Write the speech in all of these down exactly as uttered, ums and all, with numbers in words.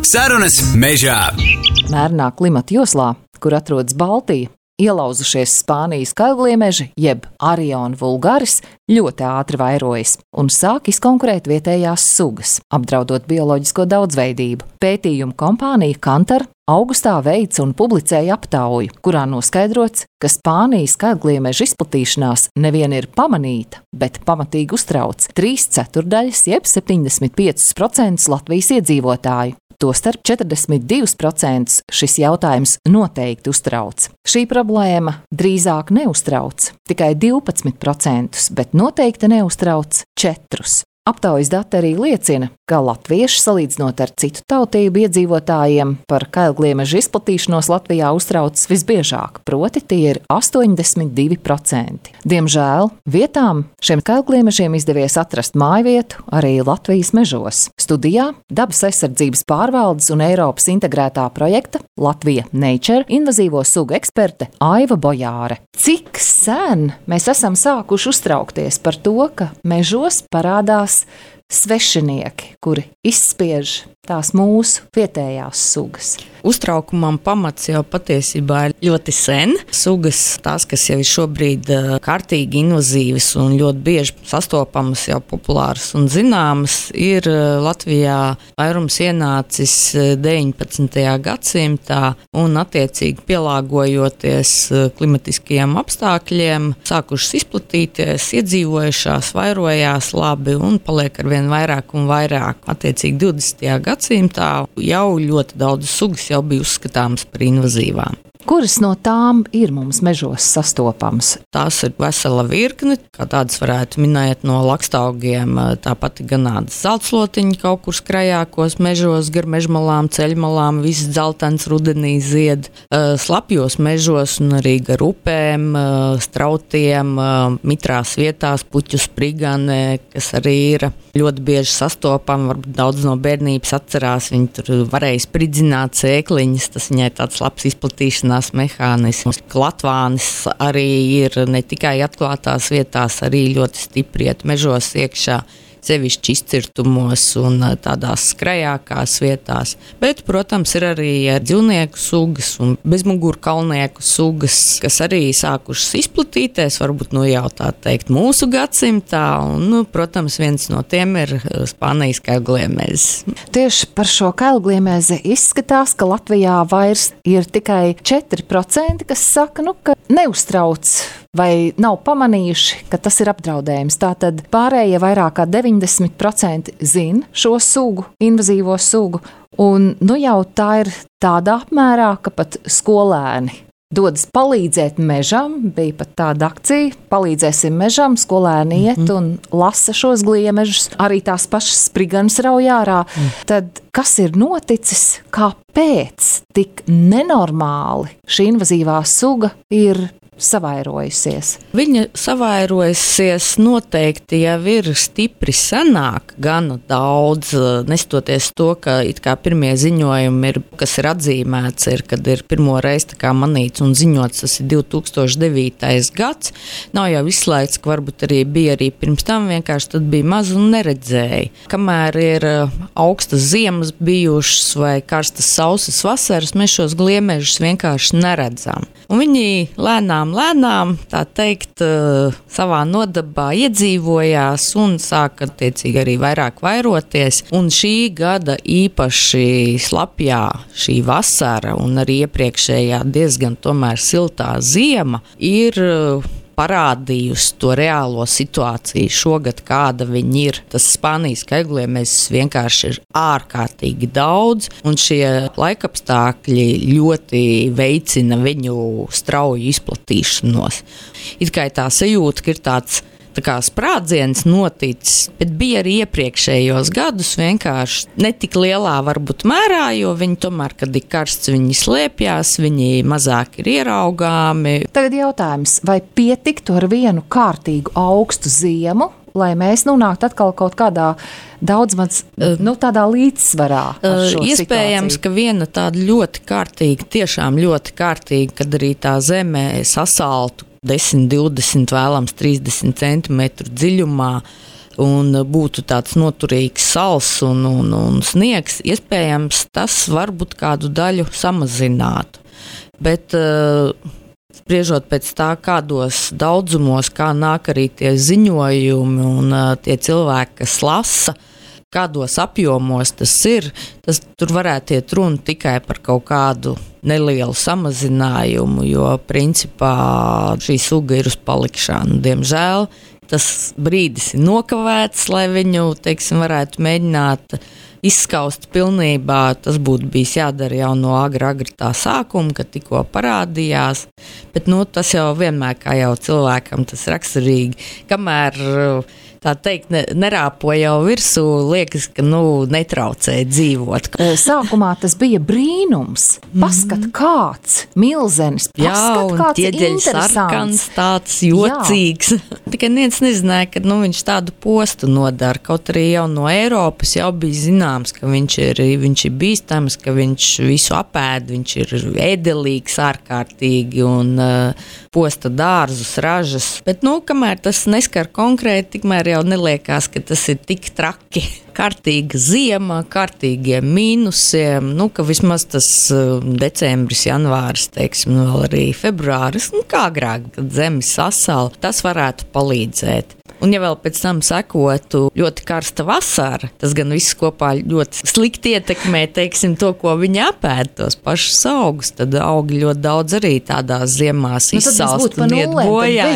Sarunas mežā. Mērnā klimata joslā, kur atrodas Baltija, ielauzušies Spānijas kailgliemeži, jeb Ariona vulgaris, ļoti ātri vairojas un sāk izkonkurēt vietējās sugas, apdraudot bioloģisko daudzveidību. Pētījumu kompānija Kantar augustā veica un publicēja aptauju, kurā noskaidrots, ka Spānijas kailgliemežu izplatīšanās nevien ir pamanīta, bet pamatīgi uztrauc trīs ceturdaļas jeb septiņdesmit pieci procenti Latvijas iedzīvotāju. Tostarp četrdesmit divi procenti šis jautājums noteikti uztrauc. Šī problēma drīzāk neuztrauc tikai divpadsmit procentus, bet noteikti neuztrauc četrus. Aptaujas dati arī liecina, ka latvieši, salīdzinot ar citu tautību iedzīvotājiem, par kailgliemežu izplatīšanos Latvijā uztraucas visbiežāk, proti tie ir astoņdesmit divi procenti. Diemžēl vietām šiem kailgliemežiem izdevies atrast mājvietu arī Latvijas mežos. Studijā Dabas aizsardzības pārvaldes un Eiropas integrētā projekta Latvija Nature invazīvo sugu eksperte Aiva Bojāre. Cik sen mēs esam sākuši uztraukties par to, ka mežos parādās svešinieki, kuri izspiež tās mūsu vietējās sugas? Uztraukumam pamats jau patiesībā ir ļoti sen. Sugas, tās, kas jau ir šobrīd kārtīgi invazīvas un ļoti bieži sastopamas, jau populāras un zināmas, ir Latvijā vairums ienācis deviņpadsmitajā gadsimtā un attiecīgi pielāgojoties klimatiskajiem apstākļiem, sākušas izplatīties, iedzīvojušās, vairojās labi un paliek arvien vairāk un vairāk. Attiecīgi divdesmitajā gadsimtā jau ļoti daudz sugas jau bija uzskatāmas par invazīvām. Kuras no tām ir mums mežos sastopamas? Tās ir vesela virkne, kā tādas varētu minēt no lakstaugiem, tāpat ganādas zeltslotiņi kaut kur skrajākos mežos, gar mežmalām, ceļmalām, viss dzeltens rudenī zied, slapjos mežos un arī gar upēm, strautiem, mitrās vietās, puķu sprigane, kas arī ir ļoti bieži sastopama, varbūt daudz no bērnības atcerās, viņi tur varēja spridzināt sēkliņas, tas viņai tāds labs izplatīšanās mehānisms. Klatvānis arī ir ne tikai atklātās vietās, arī ļoti stipri iet mežos iekšā, sevišķi izcirtumos un tādās skrajākās vietās. Bet, protams, ir arī dzīvnieku sugas un bezmugurkalnieku sugas, kas arī sākušas izplatīties, varbūt nu jau tā teikt mūsu gadsimtā, un, nu, protams, viens no tiem ir Spānijas kailgliemezis. Tieši par šo kailgliemezi izskatās, ka Latvijā vairs ir tikai četri procenti, kas saka, nu, ka neuztrauc vai nav pamanījuši, ka tas ir apdraudējums. Tātad pārējie vairāk kā deviņdesmit procenti zina šo sugu, invazīvo sugu, un nu jau tā ir tādā apmērā, ka pat skolēni dodas palīdzēt mežam, bija pat tāda akcija, palīdzēsim mežam, skolēni iet mm-hmm. un lasa šos gliemežus, arī tās pašas spriganas rauj ārā. Mm. Tad kas ir noticis, kāpēc tik nenormāli šī invazīvā suga ir savairojusies? Viņa savairojusies noteikti jau ir stipri senāk, gana daudz, nestoties to, ka it kā pirmie ziņojumi ir, kas ir atzīmēts, ir, kad ir pirmo reizi tā kā manīts un ziņots, tas ir divi tūkstoši devītais gads. Nav jau izslēgts, ka varbūt arī bija arī pirms tam, vienkārši tad bija maz un neredzēja. Kamēr ir augstas ziemas bijušas vai karstas sausas vasaras, mēs šos gliemežus vienkārši neredzam. Un viņi lēnām, lēnām, tā teikt, savā nodabā iedzīvojās un sāka attiecīgi arī vairāk vairoties. Un šī gada īpaši slapjā šī vasara un arī iepriekšējā diezgan tomēr siltā ziema ir parādījusi to reālo situāciju šogad, kāda viņi ir. Tas Spānijas kailgliemezis vienkārši ir ārkārtīgi daudz, un šie laikapstākļi ļoti veicina viņu strauju izplatīšanos. It kā tā sajūta, ka ir tāds tā kā sprādziens noticis, bet bija arī iepriekšējos gadus vienkārši netik lielā varbūt mērā, jo viņi tomēr, kad ir karsts, viņi slēpjās, viņi mazāk ir ieraugāmi. Tagad jautājums, vai pietiktu ar vienu kārtīgu augstu ziemu, lai mēs nonāktu atkal kaut kādā daudz maz, nu, tādā līdzsvarā ar šo Iespējams, situāciju? ka viena tāda ļoti kārtīga, tiešām ļoti kārtīga, kad arī tā zeme sasaltu desmit, divdesmit, vēlams trīsdesmit centimetru dziļumā, un būtu tāds noturīgs sals un, un, un sniegs, iespējams, tas varbūt kādu daļu samazinātu. Bet spriežot pēc tā, kādos daudzumos, kā nāk arī tie ziņojumi un tie cilvēki, kas lasa, kādos apjomos tas ir, tas tur varētu iet runa tikai par kaut kādu nelielu samazinājumu, jo principā šī suga ir uz palikšanu. Diemžēl tas brīdis ir nokavēts, lai viņu, teiksim, varētu mēģināt izskaust pilnībā. Tas būtu bijis jādara jau no agra, agra tā sākuma, kad tikko parādījās, bet nu, tas jau vienmēr, kā jau cilvēkam, tas raksturīgi, kamēr tā teikt, ne, nerāpo jau virsū, liekas, ka nu, netraucē dzīvot. Sākumā tas bija brīnums. Paskat, mm-hmm. kāds milzenis, paskat, jā, kāds interesants. Sarkans, tāds jocīgs. Jā. Tikai neviens nezināja, ka nu, viņš tādu postu nodara. Kaut arī jau no Eiropas jau bija zināms, ka viņš ir, viņš ir bīstams, ka viņš visu apēd, viņš ir ēdelīgs ārkārtīgi un uh, posta dārzus, ražas. Bet, nu, kamēr tas neskar konkrēti, tikmēr jau neliekās, ka tas ir tik traki. Kārtīga ziema, kārtīgiem mīnusiem, nu, ka vismaz tas uh, decembris, janvāris, teiksim, vēl arī februāris, nu, kā agrāk, kad zemi sasala, tas varētu palīdzēt. Un ja vēl pēc tam sekotu ļoti karsta vasara, tas gan viss kopā ļoti slikti ietekmē, teiksim, to, ko viņi apēd, tos pašus augus, tad augi ļoti daudz arī tādās ziemās nu, izsalst un iet bojā.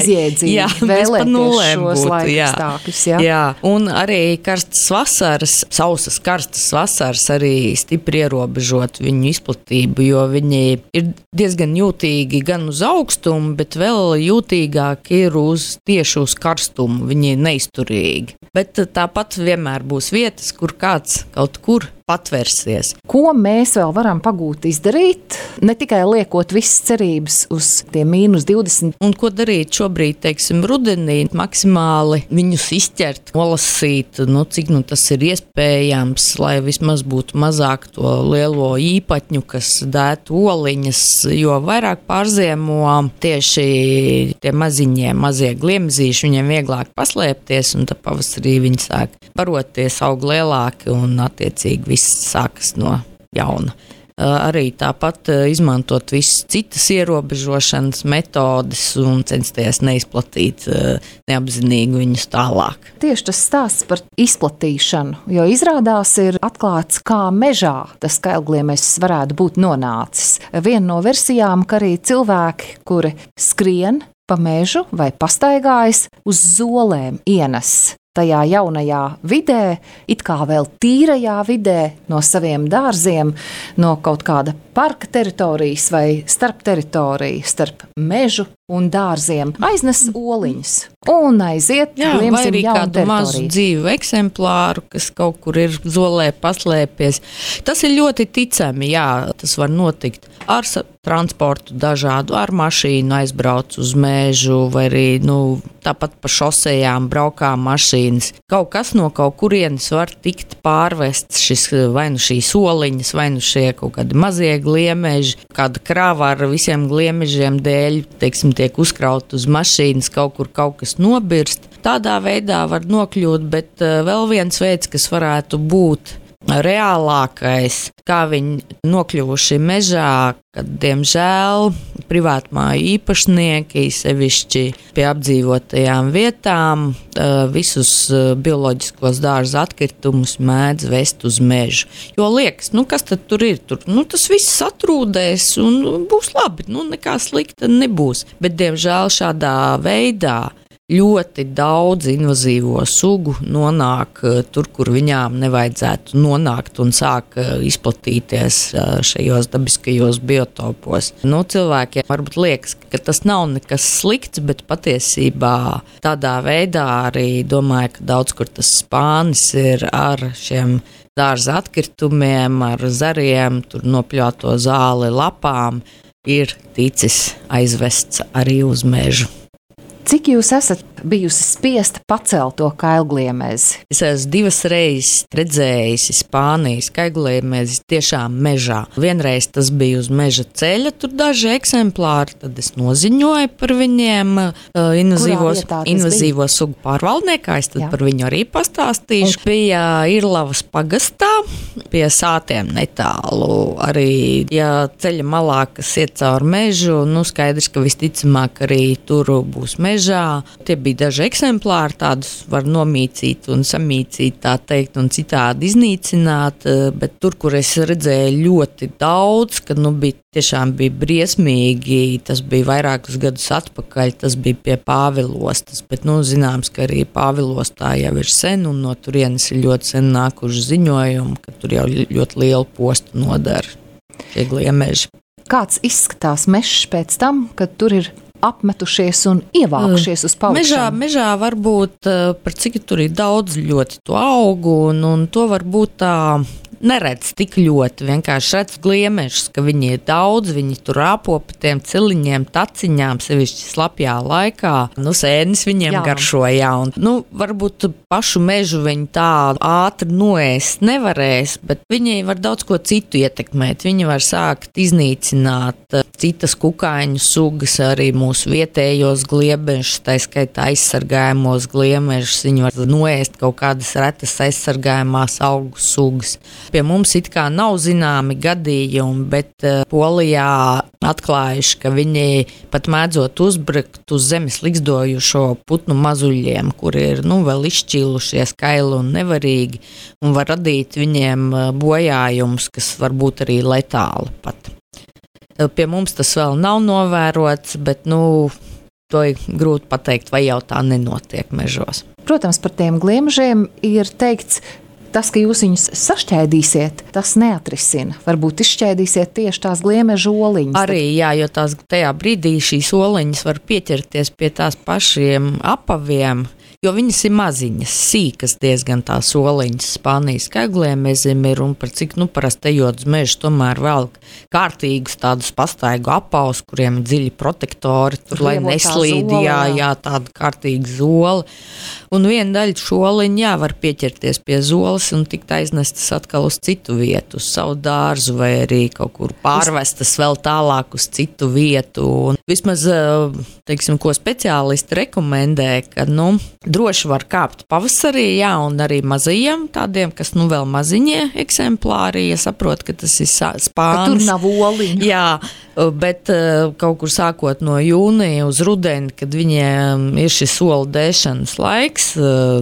Jā, bez pa nulēm būtu, jā. Stākļus, jā. jā. Un arī karstas vasaras, sausas karstas vasaras arī stipri ierobežot viņu izplatību, jo viņi ir diezgan jūtīgi gan uz augstumu, bet vēl jūtīgāk ir uz tieši uz karstumu. Viņi ir neizturīgi. Bet tāpat vienmēr būs vietas, kur kāds kaut kur patvērsies. Ko mēs vēl varam pagūt izdarīt? Ne tikai liekot visas cerības uz tiem mīnus divdesmit. Un ko darīt šobrīd, teiksim, rudenī, maksimāli viņus izķert, nolasīt, nu, cik nu tas ir iespējams, lai vismaz būtu mazāk to lielo īpatņu, kas dētu oliņas, jo vairāk pārziemo tieši tie maziņie, mazie gliemzīši, viņiem vieglāk paslēpties, un tad pavasarī viņi sāk baroties, aug lielāki un attiecīgi viss sākas no jauna. Arī tāpat izmantot visas citas ierobežošanas metodes un censties neizplatīt neapzinīgi viņus tālāk. Tieši tas stāsts par izplatīšanu, jo izrādās ir atklāts, kā mežā tas kailgliemežs varētu būt nonācis. Viena no versijām, ka arī cilvēki, kuri skrien pa mežu vai pastaigājas, uz zolēm ienes tajā jaunajā vidē, it kā vēl tīrajā vidē, no saviem dārziem, no kaut kāda parka teritorijas vai starp teritoriju, starp mežu un dārziem, aiznes oliņas un aiziet, jā, vai arī kādu mazu dzīvu eksemplāru, kas kaut kur ir zolē paslēpies. Tas ir ļoti ticami, jā, tas var notikt ar transportu dažādu, ar mašīnu aizbrauc uz mežu, vai arī, nu, tāpat pa šosejām braukā mašīnas. Kaut kas no kaut kurienes var tikt pārvests, šis, vai nu šīs oliņas, vai nu šie kaut kādi mazie gliemeži, kāda krāva ar visiem gliemežiem dēļ, teiksim, tiek uzkraut uz mašīnas, kaut kur kaut kas nobirst. Tādā veidā var nokļūt, bet uh, vēl viens veids, kas varētu būt reālākais, kā viņi nokļuvuši mežā, kad, diemžēl, privātmāju īpašnieki, sevišķi pie apdzīvotajām vietām, visus bioloģiskos dārza atkritumus mēdz vest uz mežu. Jo liekas, nu kas tad tur ir? Tur, nu, tas viss atrūdēs un būs labi, nu nekā slikta nebūs. Bet, diemžēl, šādā veidā ļoti daudz invazīvo sugu nonāk tur, kur viņām nevajadzētu nonākt un sāk izplatīties šajos dabiskajos biotopos. Nu, cilvēkiem varbūt liekas, ka tas nav nekas slikts, bet patiesībā tādā veidā arī domāju, ka daudz kur tas spānis ir ar šiem dārza atkritumiem, ar zariem, tur nopļauto zāli lapām, ir ticis aizvests arī uz mežu. Cik jūs esat bijusi spiesta pacelt to kailgliemezi? Es esmu divas reizes redzējis Spānijas kailgliemezi tiešām mežā. Vienreiz tas bija uz meža ceļa, tur daži eksemplāri, tad es noziņoju par viņiem invazīvos, invazīvo sugu pārvaldniekā, es tad Jā. Par viņu arī pastāstīšu. Un... Bija Irlavas pagastā, pie sātiem netālu, arī, ja ceļa malā, kas iet caur mežu, nu skaidrs, ka visticamāk arī tur būs mežā. Tie bija daži eksemplāri, tādus var nomīcīt un samīcīt, tā teikt, un citādi iznīcināt, bet tur, kur es redzēju ļoti daudz, kad nu bija tiešām bija briesmīgi, tas bija vairākus gadus atpakaļ, tas bija pie Pāvilostas, bet nu zināms, ka arī Pāvilostā jau ir sen, un no turienes ir ļoti sen nākuši ziņojumi, ka tur jau ļoti lielu postu nodara šie gliemeži. Kāds izskatās mežs pēc tam, kad tur ir apmetušies un ievākušies uz paukšiem? Mežā, mežā varbūt, par cik tur ir daudz ļoti to augu, un, un to varbūt tā neredz tik ļoti, vienkārši redz gliemežus, ka viņi ir daudz, viņi tur rāpo pa tiem ciliņiem, taciņām, sevišķi slapjā laikā. Nu, sēnis viņiem jā. Garšo, jā, un, nu, varbūt pašu mežu viņi tā ātri noēst nevarēs, bet viņi var daudz ko citu ietekmēt. Viņi var sākt iznīcināt citas kukaiņu sugas, arī mūsu vietējos gliemežus, tā skaitā aizsargājumos gliemežus, viņi var noēst kaut kādas retas aizsargājumās augu sugas. Pie mums it kā nav zināmi gadījumi, bet uh, Polijā atklājuši, ka viņi pat mēdzot uzbrukt uz zemes ligzdojušo putnu mazuļiem, kuri ir nu, vēl izšķīlušies kaili un nevarīgi, un var radīt viņiem bojājumus, kas var būt arī letāli pat. Pie mums tas vēl nav novērots, bet nu, to ir grūti pateikt, vai jau tā nenotiek mežos. Protams, par tiem gliemežiem ir teikts, tas, ka jūs viņus sašķēdīsiet, tas neatrisina. Varbūt izšķēdīsiet tieši tās gliemežu oliņas. Arī, jā, jo tās tajā brīdī šīs oliņas var pieķerties pie tās pašiem apaviem, jo viņas ir maziņas, sīkas diezgan tās oliņas. Spānijas kailgliemezim ir, un par cik, nu, parasti ejot uz mežu, tomēr vēl kārtīgus tādus pastaigu apaus, kuriem ir dziļi protektori, tur, lai neslīd, jā, jā, tāda kārtīga zola. Un viena daļa šo oliņu, jā, var pieķerties pie zolas un tikt aiznestas atkal uz citu vietu, uz savu dārzu, vai arī kaut kur pārvestas vēl tālāk uz citu vietu. Un vismaz, teiksim, ko speciālisti rekomendē, ka, nu, droši var kāpt pavasarī, jā, un arī mazajiem tādiem, kas nu vēl maziņie eksemplāri, ja saprot, ka tas ir spānis. Ka tur nav oliņu. Jā, bet kaut kur sākot no jūnija uz rudeni, kad viņiem ir šis olu dēšanas laiks,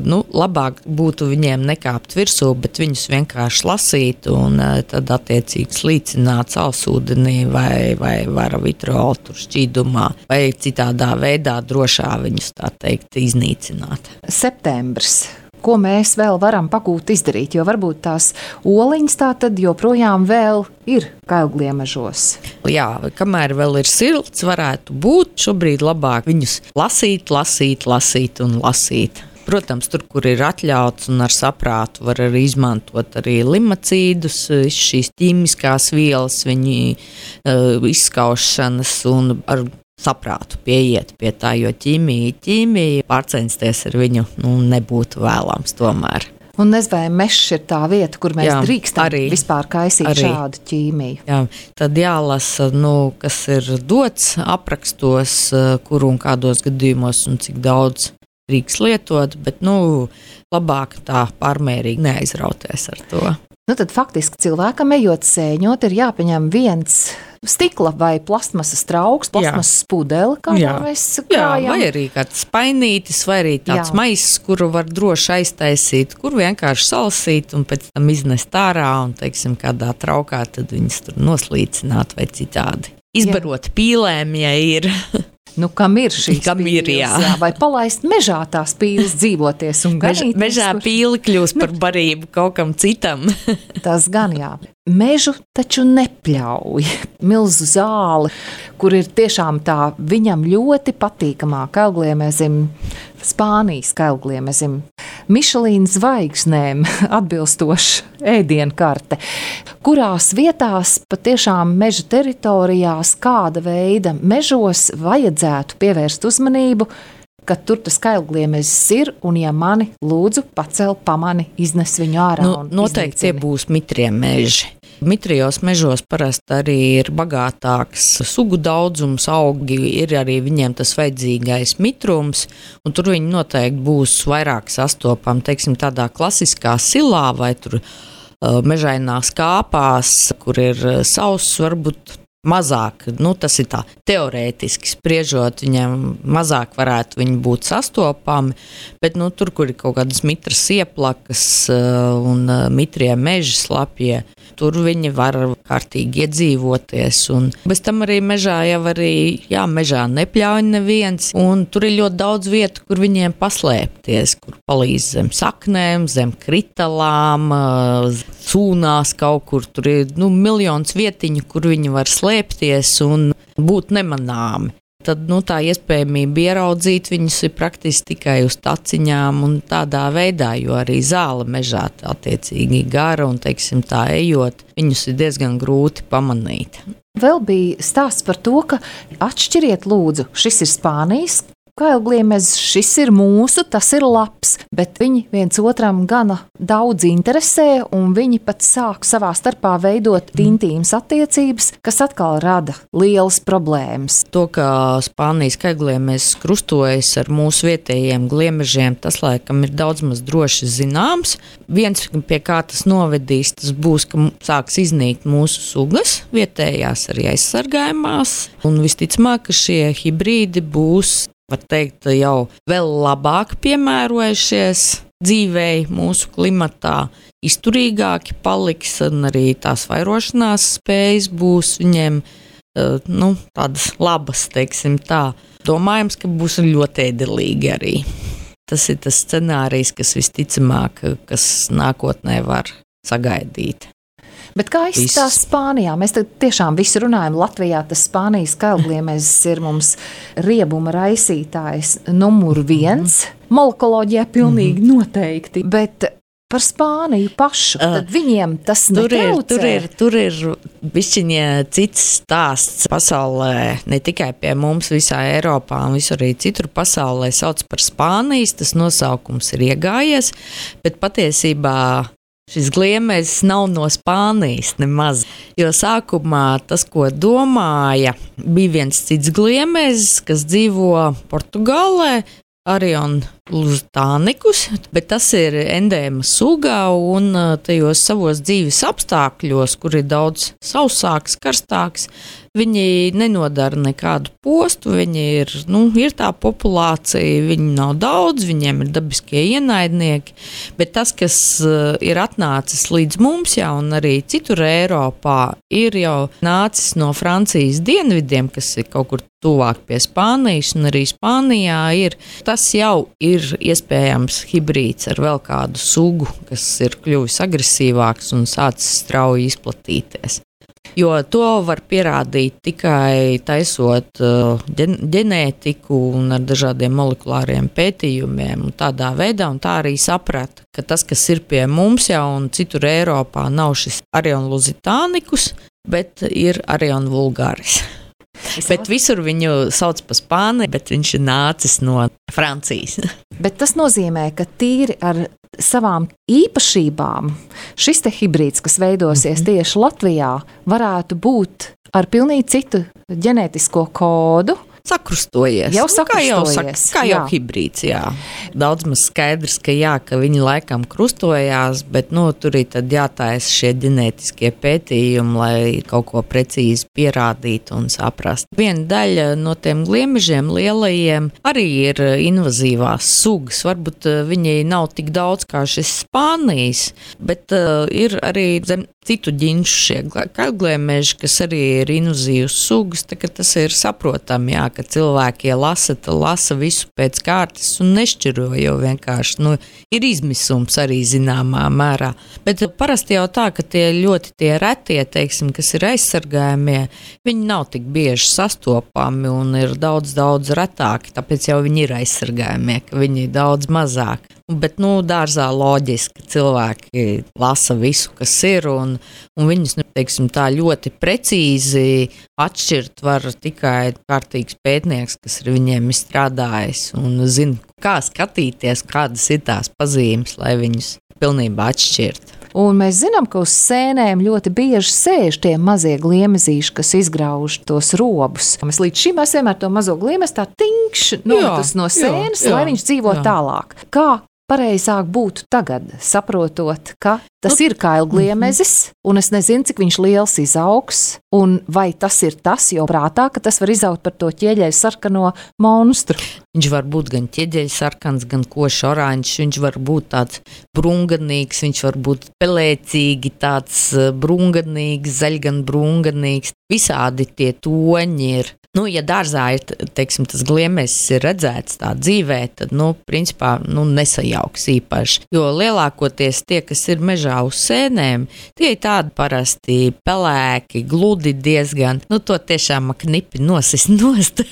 nu, labāk būtu viņiem nekāpt virsū, bet viņus vienkārši lasīt un tad attiecīgi slīcināt salsūdenī vai, vai varavitrolu tur šķīdumā vai citādā veidā drošā viņus, tā teikt, iznīcināt. Septembris. Ko mēs vēl varam pagūt izdarīt, jo varbūt tās oliņas tā tad joprojām vēl ir kailgliemežos. Jā, kamēr vēl ir silts, varētu būt šobrīd labāk viņus lasīt, lasīt, lasīt un lasīt. Protams, tur, kur ir atļauts un ar saprātu, var arī izmantot arī limacīdus, šīs ķīmiskās vielas, viņi uh, izskaušanas un ar saprātu pieiet pie tā, jo ķīmija, ķīmija pārcensties ar viņu nu, nebūtu vēlams tomēr. Un nezinu, vai mežs ir tā vieta, kur mēs jā, drīkstam arī, vispār kaisīt arī šādu ķīmiju. Jā, tad jālasa, nu, kas ir dots aprakstos, kur un kādos gadījumos un cik daudz drīkst lietot, bet nu, labāk tā pārmērīgi neaizrauties ar to. Nu, tad faktiski cilvēkam ejot sēņot ir jāpaņem viens stikla vai plastmasas trauks, plastmasas pudeli, kā jā. Mēs krājam. Jā, vai arī kāds spainītis, vai arī tāds jā. Maiss, kuru var droši aiztaisīt, kur vienkārši salasīt un pēc tam iznest ārā un, teiksim, kādā traukā tad viņas tur noslīcināt vai citādi. Izbarot jā. Pīlēm, ja ir. Nu, kam ir šīs kam pīles? Ir, jā. Jā, vai palaist mežā tās pīles dzīvoties un ganīties? Mež, mežā kur... pīle kļūst par barību kaut kam citam. Tas gan jā. Mežu taču nepļauj. Milzu zāli, kur ir tiešām tā viņam ļoti patīkamā kailgliemezim, Spānijas kailgliemezim, Mišelīna zvaigznēm atbilstoša ēdienkarte, kurās vietās patiešām meža teritorijās kāda veida mežos vajadzētu pievērst uzmanību, ka tur tas kailgliemezis ir, un ja mani lūdzu pacel, pamani, iznes viņu ārā Nu, un noteikti tie iznīcini? būs mitrie meži. Mitrijos mežos parasti arī ir bagātāks sugu daudzums, augi ir arī viņiem tas vajadzīgais mitrums, un tur viņi noteikti būs vairāk sastopami, teiksim, tādā klasiskā silā vai tur uh, mežainās kāpās, kur ir uh, sauss, varbūt mazāk, nu tas ir tā teorētiski spriežot, viņiem mazāk varētu viņi būt sastopami, bet nu tur, kur ir kaut kādas mitras ieplakas uh, un uh, mitrie meži slapjie, tur viņi var kārtīgi iedzīvoties, un bez tam arī mežā jau arī, jā, mežā nepļauj neviens, un tur ir ļoti daudz vietu, kur viņiem paslēpties, kur palīdz zem saknēm, zem kritalām, sūnās kaut kur, tur ir, nu, miljons vietiņu, kur viņi var slēpties un būt nemanāmi. Tad, nu, tā iespējamība ieraudzīt viņus ir praktiski tikai uz taciņām un tādā veidā, jo arī zāle mežā attiecīgi gara un, teiksim, tā ejot, viņus ir diezgan grūti pamanīt. Vēl bija stāsts par to, ka atšķiriet lūdzu, šis ir Spānijas kailgliemezis, šis ir mūsu, tas ir labs, bet viņi viens otram gana daudz interesē, un viņi pat sāk savā starpā veidot intīmas attiecības, kas atkal rada lielas problēmas. To, ka Spānijas kailgliemezis krustojas ar mūsu vietējiem gliemežiem, tas laikam ir daudz maz droši zināms. Viens, pie kā tas novedīs, tas būs, ka sāks iznīkt mūsu sugas, vietējās arī aizsargājumās, un visticamāk, ka šie hibrīdi būs, var teikt, jau vēl labāk piemērojušies dzīvei mūsu klimatā, izturīgāki paliks, un arī tās vairošanās spējas būs viņiem, nu, tādas labas, teiksim tā. Domājams, ka būs ļoti ēdelīgi arī. Tas ir tas scenārijs, kas visticamāk, kas nākotnē var sagaidīt. Bet kā izskatās Spānijā? Mēs tad tiešām visu runājam Latvijā, tas Spānijas kailgliemezis ir mums riebuma raisītājs numur viens. Molekoloģijā pilnīgi mm-hmm. noteikti, bet par Spāniju pašu, tad viņiem tas netraucē. Tur ir, tur ir, tur ir bišķiņa cits stāsts pasaulē, ne tikai pie mums visā Eiropā un visur arī citur pasaulē sauc par Spānijas, tas nosaukums ir iegājies, bet patiesībā šis gliemezis nav no Spānijas nemaz, jo sākumā tas, ko domāja, bija viens cits gliemezis, kas dzīvo Portugālē, Arion lusitanicus, bet tas ir endēma suga un tajos savos dzīves apstākļos, kur ir daudz sausāks, karstāks, viņi nenodara nekādu postu, viņi ir, nu, ir tā populācija, viņi nav daudz, viņiem ir dabiskie ienaidnieki, bet tas, kas ir atnācis līdz mums jau un arī citur Eiropā, ir jau nācis no Francijas dienvidiem, kas ir kaut kur tuvāk pie Spānijas, un arī Spānijā ir, tas jau ir iespējams hibrīds ar vēl kādu sugu, kas ir kļuvis agresīvāks un sācis strauji izplatīties. Jo to var pierādīt tikai taisot uh, ģenētiku un ar dažādiem molekulāriem pētījumiem un tādā veidā, un tā arī saprata, ka tas, kas ir pie mums jau un citur Eiropā, nav šis Arion lusitanicus, bet ir Arion vulgaris. Bet visur viņu sauc par Spāniju, bet viņš ir nācis no Francijas. Bet tas nozīmē, ka tīri ar savām īpašībām šis te hibrīds, kas veidosies mm-hmm. tieši Latvijā, varētu būt ar pilnīgi citu ģenētisko kodu. Sakrustojies. Jau sakrustojies. Kā jau, sak, kā jau hibrīds, jā. Daudz maz skaidrs, ka jā, ka viņi laikam krustojās, bet, nu, tur ir tad jātājas šie ģenētiskie pētījumi, lai kaut ko precīzi pierādītu un saprast. Viena daļa no tiem gliemežiem lielajiem arī ir invazīvās sugas. Varbūt viņi nav tik daudz kā šis Spānijas, bet uh, ir arī zem citu ģinšu šie kailgliemeži, kas arī ir invazīvas sugas, tā ka tas ir saprotami, jā, ka cilvēki, ja lasa, tad lasa visu pēc kārtas un nešķiro, jo vienkārši, nu, ir izmisums arī zināmā mērā. Bet parasti jau tā, ka tie ļoti tie retie, teiksim, kas ir aizsargājumie, viņi nav tik bieži sastopami un ir daudz, daudz retāki, tāpēc jau viņi ir aizsargājumie, ka viņi ir daudz mazāk. Bet, nu, dārzā loģiski cilvēki lasa visu, kas ir, un, un viņus, nu, teiksim, tā ļoti precīzi atšķirt var tikai kārtīgs pētnieks, kas ar viņiem ir strādājis un zina, kā skatīties, kādas ir tās pazīmes, lai viņus pilnībā atšķirt. Un mēs zinām, ka uz sēnēm ļoti bieži sēž tie mazie gliemezīši, kas izgrauž tos robus. Mēs līdz šim esam ar to mazo gliemezi tā tinkš nometus no sēnes, jā, jā, lai viņš dzīvo jā. Tālāk. Kā pareizāk būtu tagad, saprotot, ka tas ir kailgliemezis, un es nezinu, cik viņš liels izaugs, un vai tas ir tas, jo prātā, ka tas var izaugt par to ķieģeļu sarkano monstru. Viņš var būt gan ķieģeļu sarkans, gan košs oranžs, viņš var būt tāds brunganīgs, viņš var būt pelēcīgi tāds brunganīgs, zaļgan brunganīgs. Visādi tie toņi ir. Nu, ja dārzā ir, teiksim, tas gliemezis ir redzēts tā dzīvē, tad, nu, principā, nu, nesajauks īpaši. Jo lielākoties tie, kas ir mežā uz sēnēm, tie ir tādi parasti pelēki, gludi diezgan, nu, to tiešām knipi nosist nost.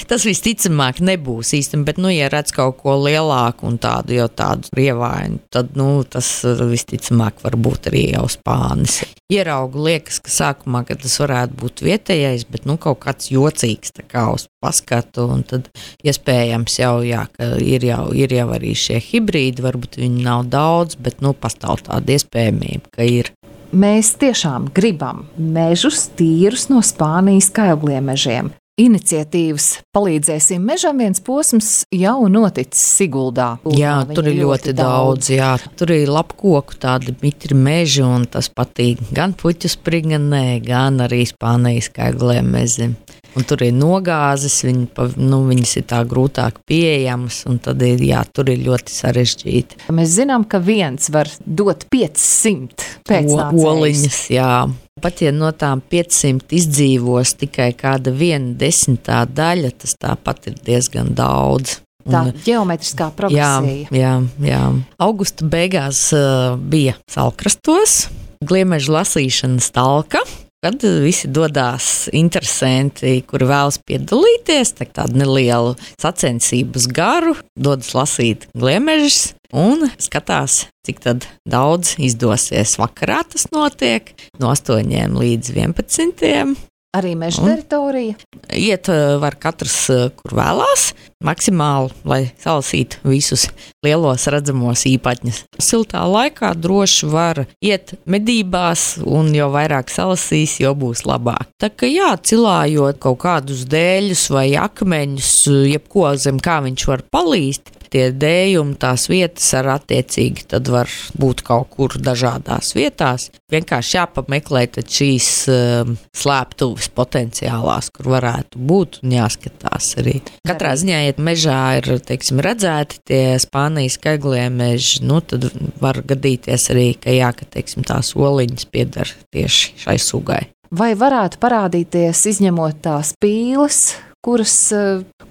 Tas visticamāk nebūs īstenībā, bet, nu, ja redz kaut ko lielāku un tādu jau tādu rievainu, tad, nu, tas visticamāk var būt arī jau spānis. Ieraugu liekas, ka sākumā, ka tas varētu būt vietējais, bet, nu, kaut kāds jocīgs tā kā uz paskatu, un tad iespējams jau, jā, ka ir jau, ir jau arī šie hibrīdi, varbūt viņi nav daudz, bet, nu, pastāv tāda iespējamība, ka ir. Mēs tiešām gribam mežus tīrus no Spānijas kailgliemežiem. Iniciatīvas Palīdzēsim mežam viens posms jau noticis Siguldā. Jā, tur ir ļoti daudz, jā. Tur ir lapkoku tādi mitri meži, un tas patīk gan puķu spriganē, gan arī Spānijas kailgliemezim. Un tur ir nogāzes, viņi, nu, viņas ir tā grūtāk pieejamas, un tad ir, jā, tur ir ļoti sarežģīti. Mēs zinām, ka viens var dot piecsimt pēcnācējus. Oliņas, jā. Pat ja no tām piecsimt izdzīvos tikai kāda viena desmitā daļa, tas tāpat ir diezgan daudz. Tā un, ģeometriskā progresija. Jā, jā, jā. Augusta beigās uh, bija Salkrastos, gliemežu lasīšanas talka, kad visi dodās interesanti, kuri vēlas piedalīties, tā tādu nelielu sacensības garu, dodas lasīt gliemežus un skatās, cik tad daudz izdosies. Vakarā tas notiek no astoņiem līdz vienpadsmitiem. Arī meža teritorija? Iet var katrs, kur vēlās, maksimāli, lai salasītu visus lielos redzamos īpatņus. Siltā laikā droši var iet medībās, un jo vairāk salasīs, jo būs labāk. Tā kā jā, cilājot kaut kādus dēļus vai akmeņus, jebko zem kā viņš var palīst, tie dējumi, tās vietas ar attiecīgi tad var būt kaut kur dažādās vietās. Vienkārši jāpameklē tad šīs um, slēptuves potenciālās, kur varētu būt, un jāskatās arī. Katrā ziņā, ja mežā ir, teiksim, redzēti tie Spānijas kailgliemeži, nu tad var gadīties arī, ka jā, ka, teiksim, tās oliņas piedar tieši šai sugai. Vai varētu parādīties, izņemot tās pīles, kuras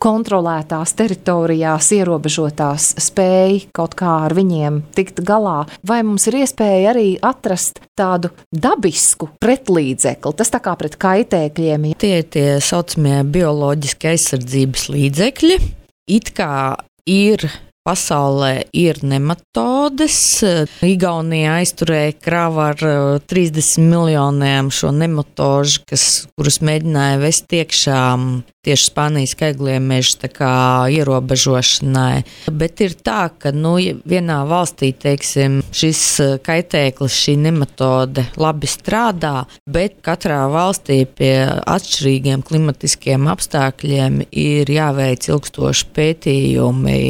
kontrolētās teritorijās ierobežotās spēja kaut kā ar viņiem tikt galā, vai mums ir iespēja arī atrast tādu dabisku pretlīdzekli, tas tā kā pret kaitēkļiem? Tie ir tie saucamie bioloģiski aizsardzības līdzekļi. It kā ir pasaulē ir nematodes. Igaunija aizturēja kravu ar trīsdesmit miljoniem šo nematožu, kas, kurus mēģināja vest iekšā tieši Spānijas kailgliemežu tā kā ierobežošanai. Bet ir tā, ka nu, vienā valstī, teiksim, šis kaitēklis, šī nematode labi strādā, bet katrā valstī pie atšķirīgiem klimatiskiem apstākļiem ir jāveic ilgstoši pētījumi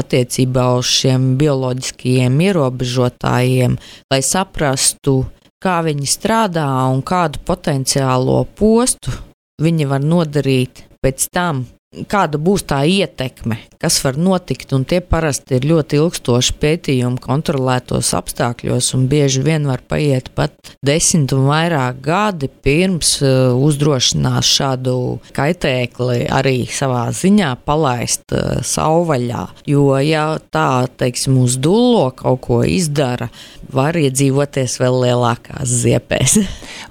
attiecībā uz šiem bioloģiskajiem ierobežotājiem, lai saprastu, kā viņi strādā un kādu potenciālo postu viņi var nodarīt pēc tam, kāda būs tā ietekme, kas var notikt, un tie parasti ir ļoti ilgstoši pētījumi kontrolētos apstākļos, un bieži vien var paiet pat desmit un vairāk gadi pirms uh, uzdrošinās šādu kaitēkli arī savā ziņā palaist uh, savvaļā, jo ja tā, teiksim, uz dullo kaut ko izdara, var iedzīvoties vēl lielākās ziepēs.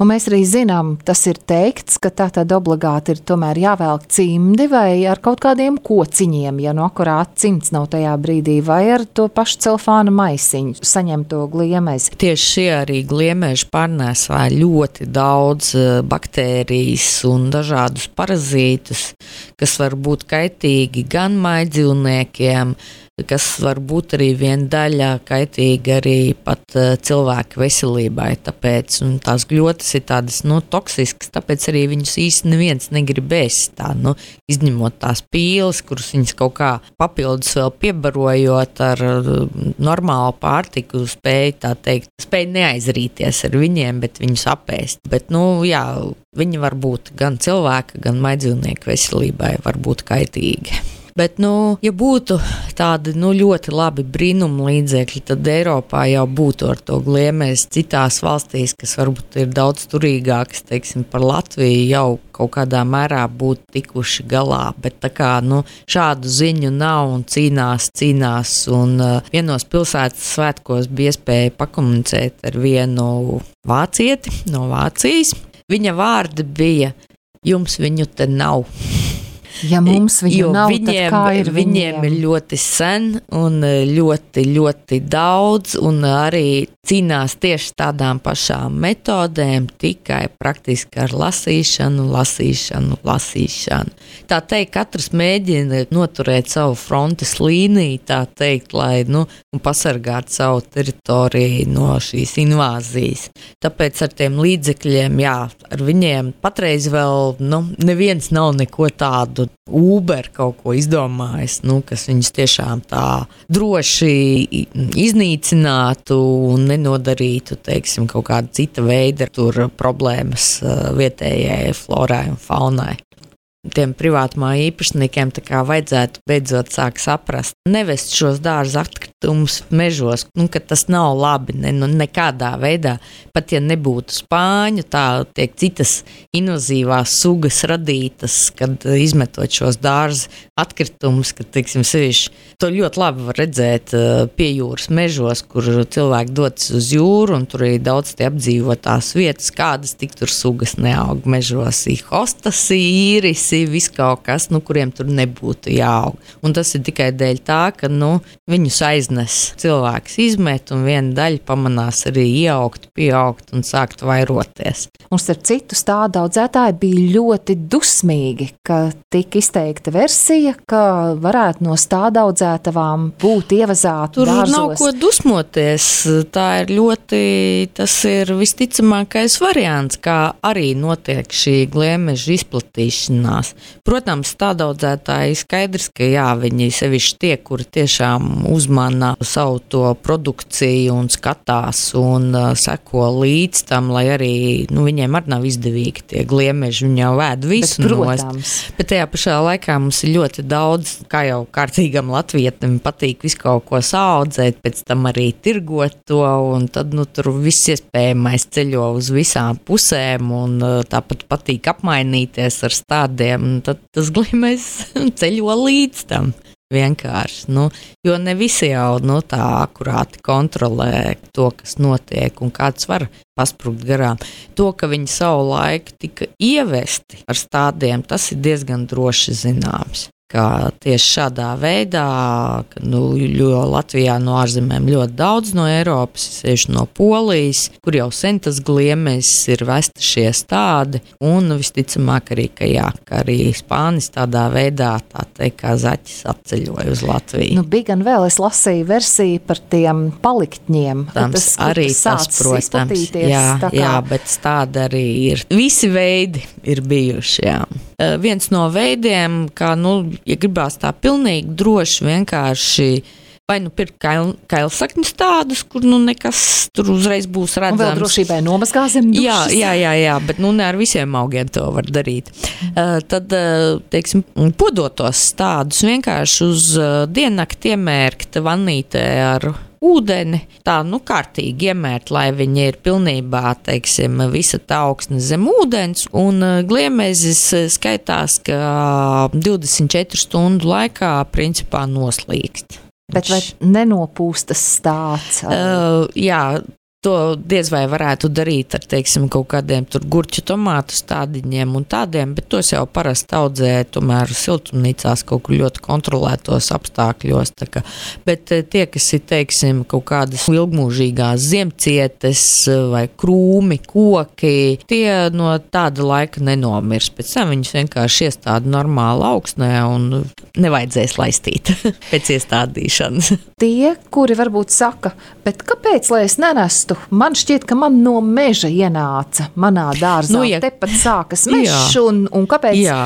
Un mēs arī zinām, tas ir teikts, ka tā tad obligāti ir tomēr jāvelk cimdi vai vai ar kaut kādiem kociņiem, ja no akurāt cimds nav tajā brīdī, vai ar to pašu celofāna maisiņu saņemto gliemezi? Tieši šie arī gliemeži pārnēsā ļoti daudz baktērijas un dažādus parazītus, kas var būt kaitīgi gan maidzīvniekiem, kas var būt arī viena daļa kaitīgi arī pat uh, cilvēku veselībai, tāpēc, un tās gļotas ir tādas, nu, toksiskas, tāpēc arī viņus īsti neviens negrib ēst, tā, nu, izņemot tās pīles, kuras viņas kaut kā papildus vēl piebarojot ar uh, normālu pārtiku, spēj, tā teikt, spēj neaizrīties ar viņiem, bet viņus apēst, bet, nu, jā, viņi var būt gan cilvēka, gan maidzīvnieku veselībai, var būt kaitīgi. Bet, nu, ja būtu tādi nu, ļoti labi brīnuma līdzekļi, tad Eiropā jau būtu ar to gliemezi. Citās valstīs, kas varbūt ir daudz turīgākas, teiksim, par Latviju, jau kaut kādā mērā būtu tikuši galā. Bet tā kā nu, šādu ziņu nav un cīnās, cīnās. Un uh, vienos pilsētas svētkos bija iespēja pakomunicēt ar vienu vācieti no Vācijas. Viņa vārdi bija: jums viņu te nav. Ja mums viņu nav, viņiem, tad kā ir viņiem? Viņiem ir ļoti sen un ļoti, ļoti daudz, un arī cīnās tieši tādām pašām metodēm, tikai praktiski ar lasīšanu, lasīšanu, lasīšanu. Tā teikt, katrs mēģina noturēt savu frontes līniju, tā teikt, lai nu, pasargātu savu teritoriju no šīs invāzijas. Tāpēc ar tiem līdzekļiem, jā, ar viņiem patreiz vēl nu, neviens nav neko tādu Uber kaut ko izdomājis, nu, kas viņus tiešām tā droši iznīcinātu un nenodarītu, teiksim, kaut kāda cita veida tur problēmas vietējai florai un faunai. Tiem privātmāju īpašniekiem tā kā vajadzētu beidzot sāk saprast, nevest šos dārza atkritumus mežos, nu, ka tas nav labi, ne, nu, nekādā veidā, pat ja nebūtu spāņu, tā tiek citas invazīvās sugas radītas, kad izmetot šos dārza atkritumus, kad, teiksim, sevišķi, to ļoti labi var redzēt pie jūras mežos, kur cilvēki dodas uz jūru, un tur ir daudz tie apdzīvotās vietas, kādas tik tur sugas neaug mežos, ir hostas, īris, viss kaut kas, nu, kuriem tur nebūtu jāaug. Un tas ir tikai dēļ tā, ka nu, viņus aiznes cilvēks izmet, un viena daļa pamanās arī ieaugt, pieaugt un sākt vairoties. Un starp citu stāda audzētāji bija ļoti dusmīgi, ka tika izteikta versija, ka varētu no stāda audzētavām būt ievazāti tur dārzos. Tur nav ko dusmoties. Tā ir ļoti, tas ir visticamākais variants, kā arī notiek šī gliemeža izplatīšanās. Protams, tādaudzētāji skaidrs, ka jā, viņi sevišķi tie, kuri tiešām uzmana savu to produkciju un skatās un uh, seko līdz tam, lai arī, nu, viņiem arī nav izdevīgi tie gliemeži, viņi jau vēd visu nost. Bet tajā pašā laikā mums ir ļoti daudz, kā jau kārtīgam latvietim patīk visu kaut ko saudzēt, pēc tam arī tirgot to, un tad, nu, tur viss iespējamais ceļo uz visām pusēm, un uh, tāpat patīk apmainīties ar stādiem. Un tad tas gliemežs ceļo līdz tam vienkārši. Nu, jo ne visi jau nu, tā akurāti kontrolē to, kas notiek un kāds var pasprukt garām. To, ka viņi savu laiku tika ievesti ar stādiem, tas ir diezgan droši zināms. Ka tieši šādā veidā, ka, nu, jo Latvijā no ārzemēm ļoti daudz no Eiropas, sevišķi no Polijas, kur jau sen tas gliemežs ir vesti šie stādi, un visticamāk arī, ka jā, ka arī Spānis tādā veidā, tā teikt, kā zaķis atceļoja uz Latviju. Nu, bija gan vēl, es lasīju versiju par tiem paliktņiem. Tams, tas arī tas, protams, jā, kā... jā, bet stādi arī ir, visi veidi ir bijuši, jā. Uh, viens no veidiem, kā, nu, ja gribās tā pilnīgi droši vienkārši vai nu pirkt kail, kailsakņu stādus, kur nu nekas tur uzreiz būs redzams. Un vēl drošībai nomazgā zem dušas. Jā, jā, jā, jā, bet nu ne ar visiem augiem to var darīt. Uh, tad, uh, teiksim, podotos stādus vienkārši uz uh, diennakti iemērkt vannītē ar ūdeni, tā, nu, kārtīgi iemērt, lai viņi ir pilnībā, teiksim, visa tā augsne zem ūdens, un gliemezis skaitās, ka divdesmit četru stundu laikā principā noslīkst. Bet vai nenopūstas stāds? Uh, jā, To diez vai varētu darīt ar, teiksim, kaut kādiem tur gurķu tomātu stādiņiem un tādiem, bet tos jau parasti audzē tomēr siltumnīcās kaut kur ļoti kontrolētos apstākļos. Tā kā, bet tie, kas ir, teiksim, kaut kādas ilgmūžīgās ziemcietes vai krūmi, koki, tie no tāda laika nenomirs. Pēc tam viņus vienkārši iestāda normāli augsnē un nevajadzēs laistīt pēc iestādīšanas. Tie, kuri varbūt saka, bet kāpēc, lai es nenestu? Man šķiet, ka man no meža ienāca manā dārzā. Nu, ja, tepat sākas mežs, un, un kāpēc jā.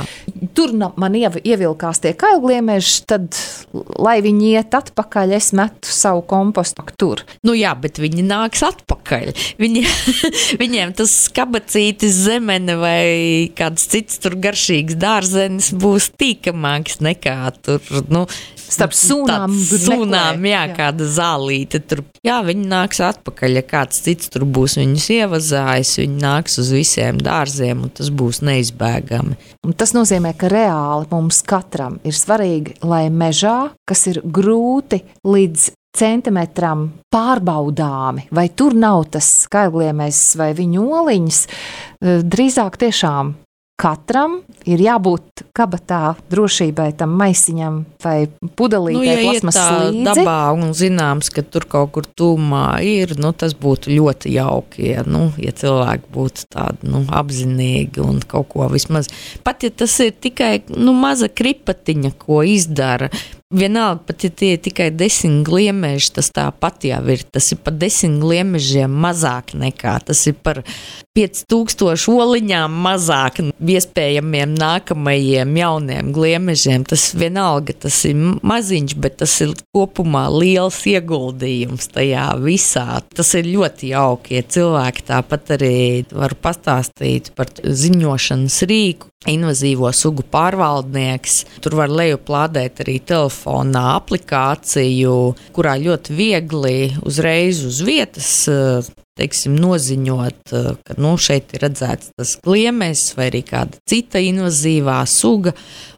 Tur man ievilkās tie kailgliemeži, tad, lai viņi iet atpakaļ, es metu savu kompostu tur. Nu jā, bet viņi nāks atpakaļ. Viņi, viņiem tas skabacītis, zemene vai kāds cits tur garšīgs dārzenis būs tīkamāks nekā tur, nu, starp sūnām, sūnām jā, jā, kāda zālīte tur. Jā, viņi nāks atpakaļ, ja kāds cits tur būs viņus ievazājis, viņi nāks uz visiem dārziem, un tas būs neizbēgami. Un tas nozīmē, ka reāli mums katram ir svarīgi, lai mežā, kas ir grūti līdz centimetram pārbaudāmi, vai tur nav tas kailgliemēs vai viņu oliņas, drīzāk tiešām katram ir jābūt kabatā drošībai tam maisiņam vai pudelītei nu, ja plasmasas līdzi. Dabā un zināms, ka tur kaut kur tūmā ir, nu, tas būtu ļoti jauki, ja, nu, ja cilvēki būtu tādi nu, apzinīgi un kaut ko vismaz. Pat ja tas ir tikai nu, maza kripatiņa, ko izdara, vienalga, pat ja tie ir tikai desmit gliemeži, tas tāpat jau ir. Tas ir par desmit gliemežiem mazāk nekā. Tas ir par pieci tūkstoši oliņām mazāk iespējamiem nākamajiem jauniem gliemežiem. Tas vienalga, tas ir maziņš, bet tas ir kopumā liels ieguldījums tajā visā. Tas ir ļoti jauki, ja cilvēki tāpat arī var pastāstīt par ziņošanas rīku. Invazīvo sugu pārvaldnieks. Tur var lejuplādēt arī telefonā aplikāciju, kurā ļoti viegli uzreiz uz vietas, teiksim, noziņot, ka nu, šeit ir redzēts tas gliemežs vai arī kāda cita invazīvā suga.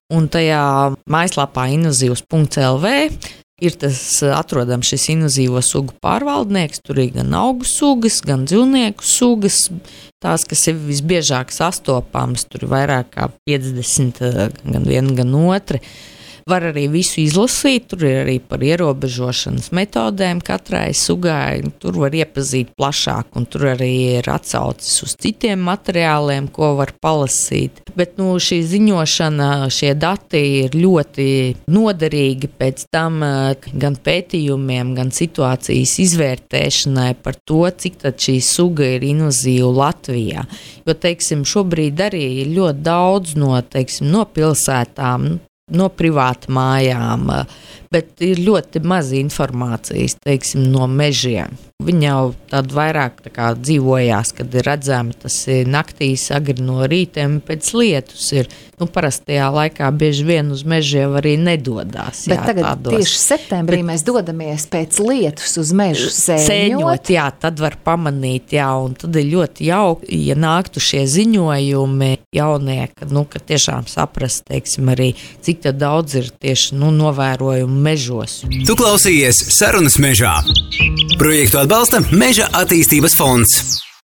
Un tajā mājaslapā invazīvs punkts el vē ir tas atrodams šis invazīvo sugu pārvaldnieks. Tur ir gan augu sugas, gan dzīvnieku sugas. Tās, kas ir visbiežāk sastopamas, tur ir vairāk kā piecdesmit, gan viena, gan otra. Var arī visu izlasīt, tur ir arī par ierobežošanas metodēm katrai sugai. Tur var iepazīt plašāk, un tur arī ir atsaucis uz citiem materiāliem, ko var palasīt. Bet nu, šī ziņošana, šie dati ir ļoti noderīgi pēc tam gan pētījumiem, gan situācijas izvērtēšanai par to, cik tad šī suga ir invazīva Latvijā. Jo, teiksim, šobrīd arī ir ļoti daudz no, teiksim, no pilsētām, no privāta mājām, bet ir ļoti maz informācijas, teiksim, no mežiem. Viņi jau tādu vairāk tā kā dzīvojās, kad ir redzami, tas ir naktīs, agri no rītiem pēc lietus ir. Nu, parastajā laikā bieži vien uz mežiem arī nedodās. Bet jā, tagad tādos. Tieši septembrī bet, mēs dodamies pēc lietus uz mežu sēņot. Sēņot, jā, tad var pamanīt, jā, un tad ir ļoti jauki, ja nāktu šie ziņojumi jaunie, ka, nu, ka tiešām saprast, teiksim, arī, cik tad daudz ir tieši, nu, novērojumu mežos. Tu klausījies Sarunas mežā. Projektu atbalsta Meža attīstības fonds.